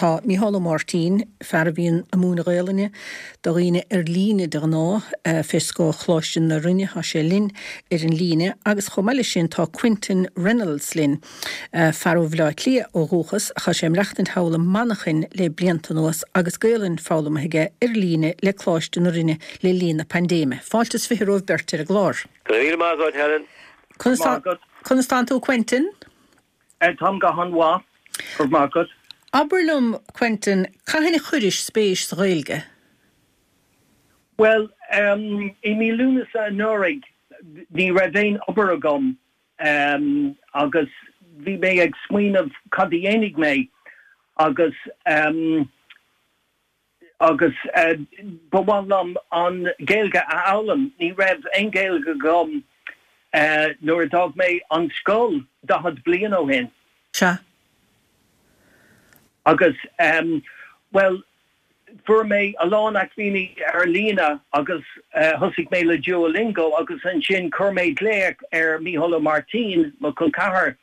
Tá Mícheál Ó Máirtín, fear a bhíonn ag múineadh Gaelainne do dhaoine ar líne de ghnáth, fé scáth Choláiste na Rinne, tá sé linn ar an líne agus chomh maith leis sin tá Quentin Reynolds linn, fear ó Bhaile Átha Cliath ó dhúchas ach tá sé ag maireachtaint thall i Manchain le blianta anuas agus Gaelainn foghlamtha aige ar líne le Coláiste na Rinne le linn na paindéime. Fáilte is 20 romhaibh beirt ar an gclár. Go raibh míle maith agat, Helen. Conas tánn tú, Quentin? Táim go han-mhaith, go raibh maith agat. Abair liom, Quentin, cathain a chuiris spéis sa Ghaeilge? Bhuel, i mí Lúnasa anuraidh, ní raibh aon obair agam agus bhí mé ag smaoineamh cad a dhéanfaidh mé agus agus ba mhaith liom an Ghaeilge a fhoghlaim. Ní raibh aon Ghaeilge agam nuair a d'fhág mé an scoil 40 bliain ó shin. Sea. Agus, bhuel, fuair mé a lán acmhainní ar líne agus thosaigh mé le Duolingo agus ansin chuir mé glaoch ar Mícheál Ó Máirtín, mo chol ceathar,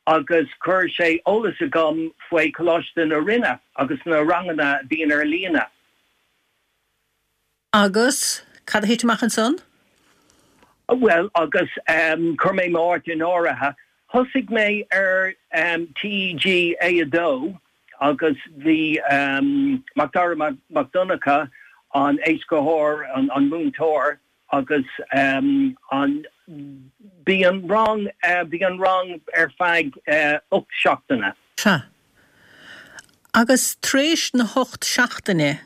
agus chuir sé eolas agam faoi Choláiste na Rinne agus na ranganna a bhíonn ar líne. Agus cad a thit amach ansan? Bhuel, agus chuir mé m'áit in áirithe. Thosaigh mé ar TG A2 agus bhí Macdara Mac Donncha, an éascaitheoir, an múinteoir, Agus an, bhí an rang, bhí an rang ar feadh 8 seachtaine. Sea. Agus tar éis na hocht seachtaine,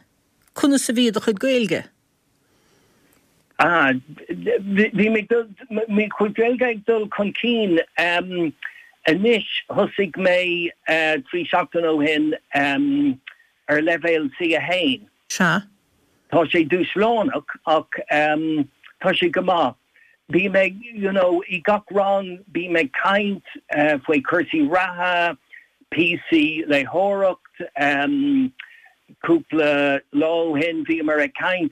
conas a bhí do chuid Gaeilge? Ah, bhí mé, mo chuid Gaeilge ag dul chun cinn. Anois, thosaigh mé 3 seachtaine ó shin ar leibhéal C1. Sea. Tá sé dúshlánach ach tá sé go maith. Bím ag, you know, i gach rang bím ag caint faoi chúrsaí reatha, píosaí léitheoireacht. Cúpla lá ó shin bhíomar ag caint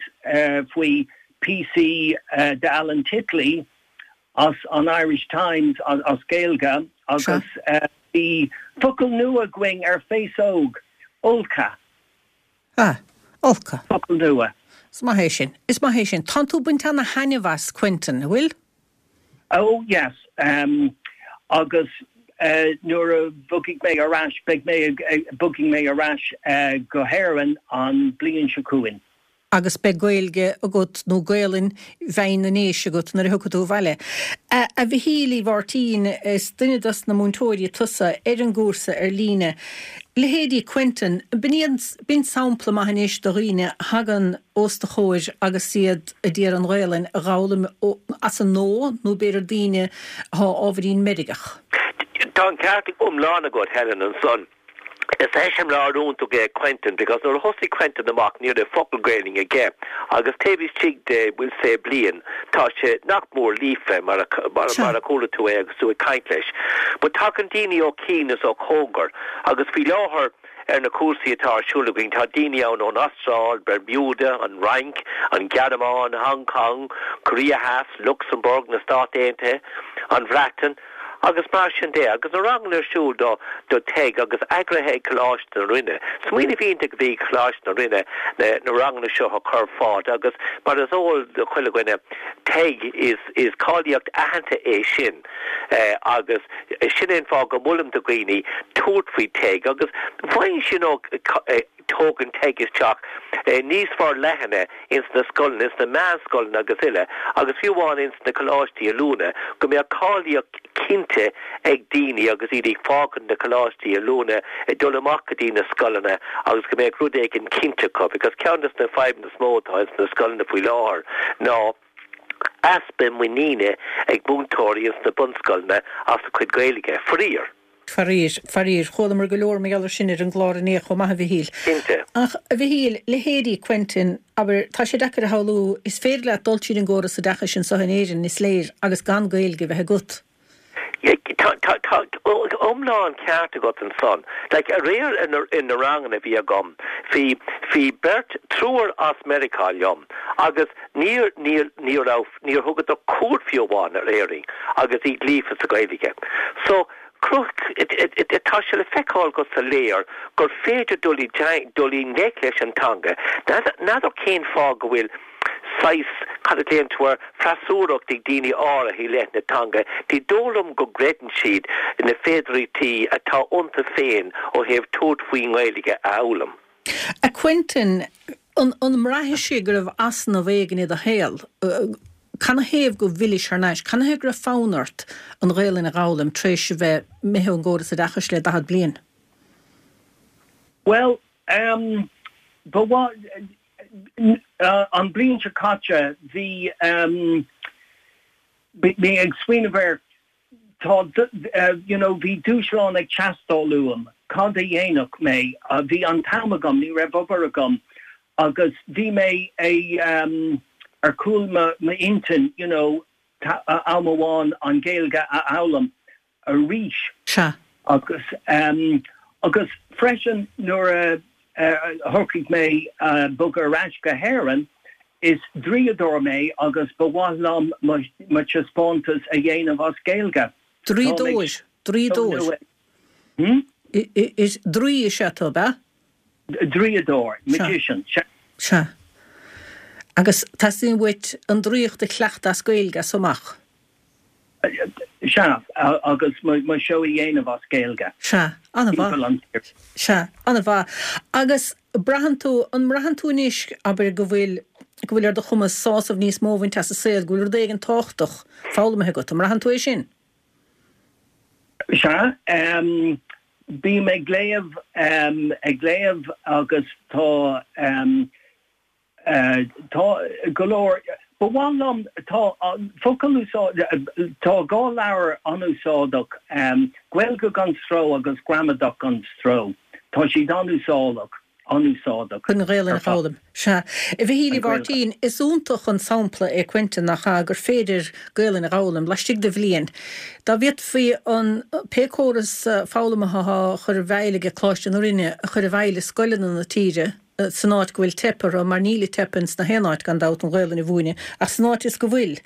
faoi píosaí de Alan Titley as an Irish Times as Gaeilge agus bhí focal nua againn ar féasóg, ulcadh. Ah, ulcadh. Focal nua. Is maith é sin. Is maith é sin. Tánn tú ag baint ana-thaitneamh as, Quentin, an bhfuil? Oh, yes. Agus nuair a bhogfaidh mé ar ais, beidh mé ag, bogfaidh mé ar ais go hÉirinn an bliain seo chugainn. Agus beidh Gaeilge agat, nó Gaelainn bhinn na nDéise agat nuair a thiocfaidh tú abhaile. A Mhichíl Uí Mháirtín, is duine dos na múinteoirí tusa ar an gcúrsa ar líne. Leithéidí Quentin, b'in sampla maith anois do dhaoine a thagann os do chomhair agus iad a d'iarraidh an Ghaelainn a dh'fhoghlaim as an nua nó b'fhéidir daoine athá ábhairín meirgeach. Tá an ceart iomlán agat, Helen, ansan. Is eiseamláir iontach é Quentin because nuair a thosaigh Quentin amach ní raibh focal Gaelainn aige agus taobh istigh de we'll say bliain tá sé nach mór líofa mar a mar a chuala tú é agus tú ag caint leis. But tagann daoine ó chian is ó chóngar agus faoi láthair ar na cúrsaí atá ar siúl againn tá daoine ann ón Astráil, Bermuda, an Fhrainc, an Ghearmáin, Hong Kong, Korea Theas, Lucsamburg, na Stáit Aontaithe, an Bhreatain, agus mar sin de, agus na ranganna ar siúl do do TEG agus eagraithe ag Coláiste na Rinne. Smaoineamh iontach a bhí ag Coláiste na Rinne na na ranganna seo a chur ar fáil agus mar is eol do chuile dhuine TEG is is cáilíocht aitheanta é sin agus sin é an fáth go molaim do dhaoine tabhairt faoi TEG agus bhain you know tógann TEG isteach níos forleithne ins na scoileanna, ins na meánscoileanna agus uile, agus fiú amháin ins na coláistí oiliúna, go mbeadh cáilíocht cinnte ag daoine agus iad ag fágaint na coláistí oiliúna ag dul amach go dtí na scoileanna agus go mbeadh rud éigin cinnte acu because ceann des na fadhbanna is mó atá ins na scoileanna faoi láthair ná easpa muiníne ag múinteoirí ins na bunscoileanna as a cuid Gaeilge, faraor. Faraor, faraor. Chualamar go leor mar gheall air sin ar an gclár inné chomh maith, a Mhichíl. Cinnte. Ach, a Mhichíl, leithéidí Quentin, abair, tá sé deacair a shamhlú, is féidir leat dul tríd an gcóras oideachais anseo in Éirinn, is léir, agus gan Gaeilge a bheith agat. Tá, tá, tá iomlán ceart agat ansan. Like, aréir in na ranganna a bhí agam, bhí, bhí beirt, triúr as Meiriceá liom agus níor, níor, ní raibh, níor thugadar cuairt fiú amháin ar Éirinn agus iad líofa sa Ghaeilge. So. Tá sé le feiceáil go soiléir gur féidir dul i dul i ngleic leis an teanga. N'fheadar cén fáth go bhfuil saghas, cad a ghlaonn tú air, freasúracht ag daoine áirithe i leith na teanga. Ní dóigh liom go gcreideann siad na féidearthachtaí atá iontu féin ó thaobh tabhairt faoin nGaeilge a fhoghlaim. A Quentin, an mbraithis go raibh easnamh éigin i do shaol? Canathaobh go bhfillis thar n-ais? Canathaobh go raibh fonn ort an Ghaelainn a dh'fhoghlaim tar éis a bheith imithe ón gcóras oideachais le 40 bliain? Bhuel, em, ba mhaith, an bliain seo caite bhí, em, bhí mé ag smaoineamh ar, Tá, you know, bhí dúshlán ag teastáil uaim, cad a dhéanfadh mé? Bhí an t-am agam, ní raibh obair agam agus bhí mé ar chúl m'intinn, you know, am amháin an Ghaeilge a fhoghlaim arís. Sea. Agus, agus freisin nuair a shocraigh mé bogadh ar ais go hÉirinn, Is draíodóir mé agus ba mhaith liom mo taispeántas a dhéanamh as Gaeilge. Draíodóir, draíodóir. Is draoi is ea tú, ab ea? Draíodóir, magician, sea. Sea. Agus teastaíonn uait an draíocht a chleachtadh as Gaeilge as so amach? Sea, agus mo seó a dhéanamh as Gaeilge. Sea, an-mhaith. Sea, an-mhaith. Agus braitheann tú, an mbraitheann tú anois, abair, go bhfuil, go bhfuil ar do chumas sásamh níos mó a bhaint as an saol, go bhfuil rud éigin tábhachtach foghlamtha agat, an mbraitheann tú é sin? Sea, bím ag léamh, ag léamh agus tá, Tá go leor. Ba mhaith liom, tá focal úsáid, tá 2 leabhar an-úsáideach, Gaeilge gan Stró agus Gramadach gan Stró. Tá siad an-úsáideach, an-úsáideach Chun an Ghaelainn a foghlaim. Sea. A Mhichíl Uí Mháirtín, is iontach an sampla é Quentin, nach ea, gur féidir Gaelainn a dh'fhoghlaim laistigh de bhliain. Dá bhféadfaí an pé córas foghlama atá á chur i bhfeighil aige Coláiste na Rinne a chur i bhfeighil i scoileanna na tíre, san áit go bhfuil teip orthu, mar níl ag teip ins na haon áit gan dabht, an Ghaelainn a mhúineadh, ach san áit is go bhfuil,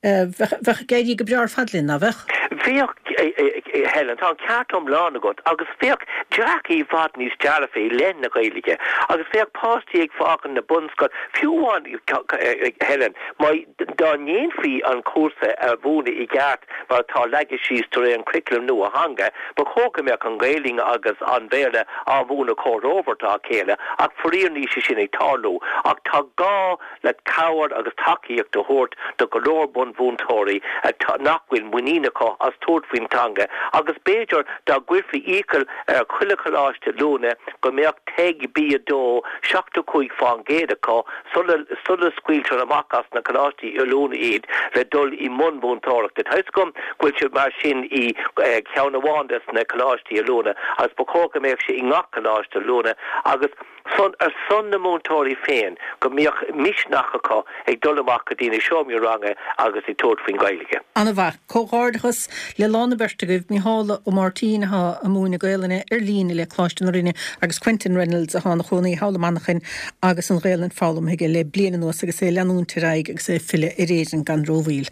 bheadh, bheadh ag éirí go breá ar fad linn, ná bheadh? Bheadh, a Helen, tá an ceart iomlán agat, agus bheadh dearcadh i bhfad níos dearfaí i leith na Gaeilge, agus bheadh páistí ag fágaint na bunscoile, fiú amháin, Helen, má, dá ndéanfaí an cúrsa a mhúineadh i gceart mar atá leagtha síos de réir an churaclaim nua-theanga, ba chóir go mbeadh an Ghaelainn agus an Béarla á mhúineadh comhthreomhar dá chéile, ach faraor níl sé sin ag tarlú. Ach tá gá le cabhair agus tacaíocht a thabhairt do go leor bunmhúinteoirí atá, nach bhfuil muinín acu as tabhairt faoin teanga agus b'fhéidir dá gcuirfí iachall ar chuile choláiste oiliúna go mbeadh TEG B2 75% acu sula scaoiltear amach as na coláistí oiliúna iad le dul i mbun múinteoireachta. Tá 'fhios agam go bhfuil sé mar sin i gceann amháin des na coláistí oiliúna agus ba chóir go mbeadh sé i ngach coláiste oiliúna agus san ar son na múinteoirí féin go mbeadh misneach acu ag dul amach go dtí na seomraí ranga agus ag tabhairt faoin Ghaeilge. An-mhaith. Comhghairdeachas le lán na beirte agaibh, Micheál Ó Máirtín atá ag múineadh Gaelainne ar líne le Coláiste na Rinne agus Quentin Reynolds atá ina chónaí thall i Manchain agus an Ghaelainn foghlamtha aige le bliain anuas agus é ag leanúint ar aghaidh agus é ag filleadh ar Éirinn gan rómhoill.